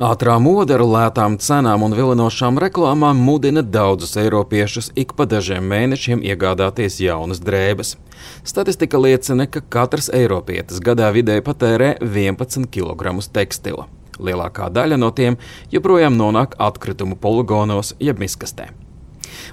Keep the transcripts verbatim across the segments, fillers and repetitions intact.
Ātrā mode ar lētām cenām un vilinošām reklāmām mudina daudzus eiropiešus ik pa dažiem mēnešiem iegādāties jaunas drēbes. Statistika liecina, ka katrs eiropietis gadā vidēji patērē vienpadsmit kilogramus tekstila. Lielākā daļa no tiem joprojām nonāk atkritumu poligonos jeb miskastē.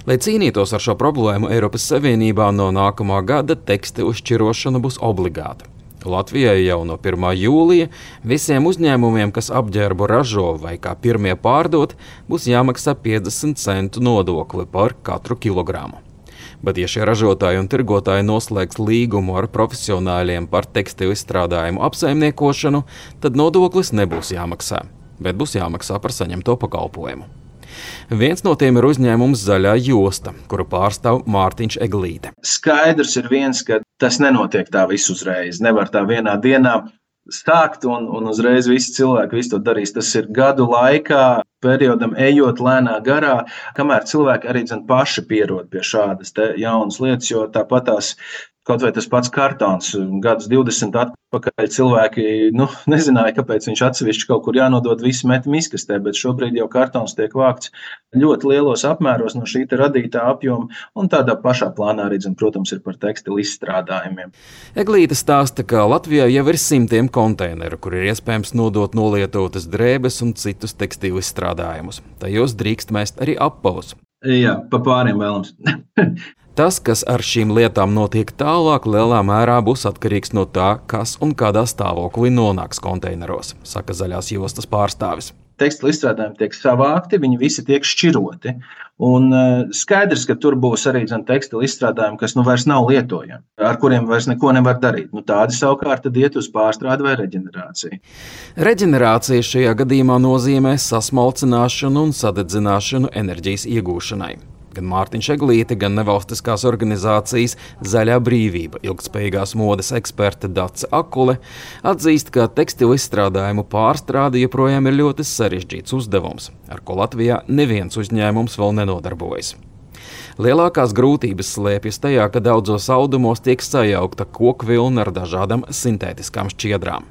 Lai cīnītos ar šo problēmu, Eiropas Savienībā no nākamā gada tekstilu šķirošana būs obligāta. Latvijai jau no pirmā jūlija visiem uzņēmumiem, kas apģērbu ražo vai kā pirmie pārdot, būs jāmaksā piecdesmit centu nodokli par katru kilogramu. Bet, ja šie ražotāji un tirgotāji noslēgs līgumu ar profesionāļiem par tekstilu izstrādājumu apsaimniekošanu, tad nodoklis nebūs jāmaksā, bet būs jāmaksā par saņemto pakalpojumu. Viens no tiem ir uzņēmums Zaļā josta, kuru pārstāv Mārtiņš Eglīte. Skaidrs ir viens, ka tas nenotiek tā visu uzreiz. Nevar tā vienā dienā stākt un, un uzreiz visi cilvēki visu to darīs. Tas ir gadu laikā, periodam ejot lēnā garā, kamēr cilvēki arī zin, paši pierod pie šādas te jaunas lietas, jo tāpat tās kaut vai tas pats kartons, gadus divdesmit atpakaļ cilvēki nu, nezināja, kāpēc viņš atsevišķi kaut kur jānodod visu met miskastē, bet šobrīd jau kartons tiek vākts ļoti lielos apmēros no šī radītā apjoma, un tādā pašā plānā arī, protams, ir par tekstilu izstrādājumiem. Eglīte stāsta, ka Latvijā jau ir simtiem konteineru, kur ir iespējams nodot nolietotas drēbes un citus tekstilu izstrādājumus. Tajos drīkst mest arī apavus. Jā, pa pāriem vēlams. Tas, kas ar šīm lietām notiek tālāk, lielā mērā būs atkarīgs no tā, kas un kādā stāvoklī nonāks konteineros, saka Zaļās jostas pārstāvis. Tekstilu izstrādājumi tiek savākti, viņi visi tiek šķiroti. Un skaidrs, ka tur būs arī tekstilu izstrādājumi, kas nu vairs nav lietojami, ar kuriem vairs neko nevar darīt. Nu, tādi savukārt tad iet uz pārstrādi vai reģenerāciju. Reģenerācija šajā gadījumā nozīmē sasmalcināšanu un sadedzināšanu enerģijas iegūšanai. Gan Mārtiņš Eglīte, gan nevalstiskās organizācijas Zaļā brīvība ilgtspējīgās modes eksperte Dace Akule atzīst, ka tekstilu izstrādājumu pārstrāde joprojām ir ļoti sarežģīts uzdevums, ar ko Latvijā neviens uzņēmums vēl nenodarbojas. Lielākās grūtības slēpjas tajā, ka daudzos audumos tiek sajaukta kokvilna ar dažādām sintētiskām šķiedrām.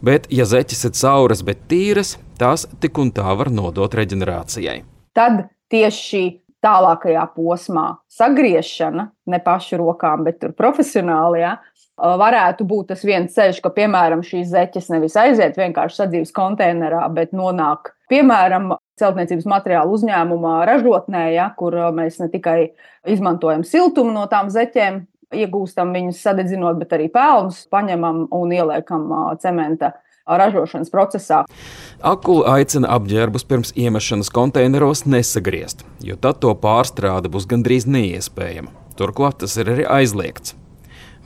Bet, ja zeķes ir cauras, bet tīras, tās tik un tā var nodot reģenerācijai. Tad tieši šī tālākajā posmā sagriešana, ne pašu rokām, bet tur profesionāli, ja, varētu būt tas viens ceļš, ka, piemēram, šīs zeķes nevis aiziet vienkārši sadzīves konteinerā, bet nonāk, piemēram, celtniecības materiālu uzņēmumā ražotnē, ja, kur mēs ne tikai izmantojam siltumu no tām zeķēm, iegūstam viņus sadedzinot, bet arī pelnus paņemam un ieliekam cementa ražošanas procesā. Akula aicina apģērbus pirms iemešanas konteineros nesagriezt, jo tad to pārstrāde būs gandrīz neiespējama. Turklāt tas ir arī aizliegts.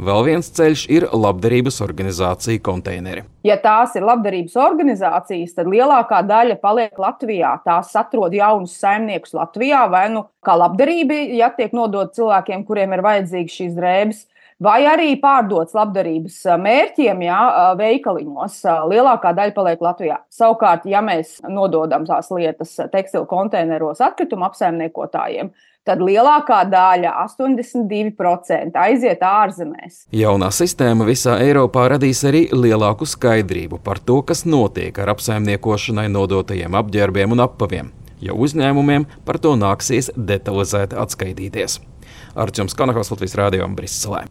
Vēl viens ceļš ir labdarības organizācija konteineri. Ja tās ir labdarības organizācijas, tad lielākā daļa paliek Latvijā. Tās atrod jaunus saimniekus Latvijā, vai nu kā labdarība, ja tiek nodot cilvēkiem, kuriem ir vajadzīgas šīs drēbes, vai arī pārdots labdarības mērķiem, jā, veikaliņos. Lielākā daļa paliek Latvijā. Savukārt, ja mēs nododam tās lietas tekstilu konteineros atkritumu apsaimniekotājiem, tad lielākā daļa, astoņdesmit divi procenti, aiziet ārzemēs. Jaunā sistēma visā Eiropā radīs arī lielāku skaidrību par to, kas notiek ar apsaimniekošanai nodotajiem apģērbiem un apaviem, jo uzņēmumiem par to nāksies detalizēti atskaitīties. Arčuns Kanahos, Latvijas radio, Briselē.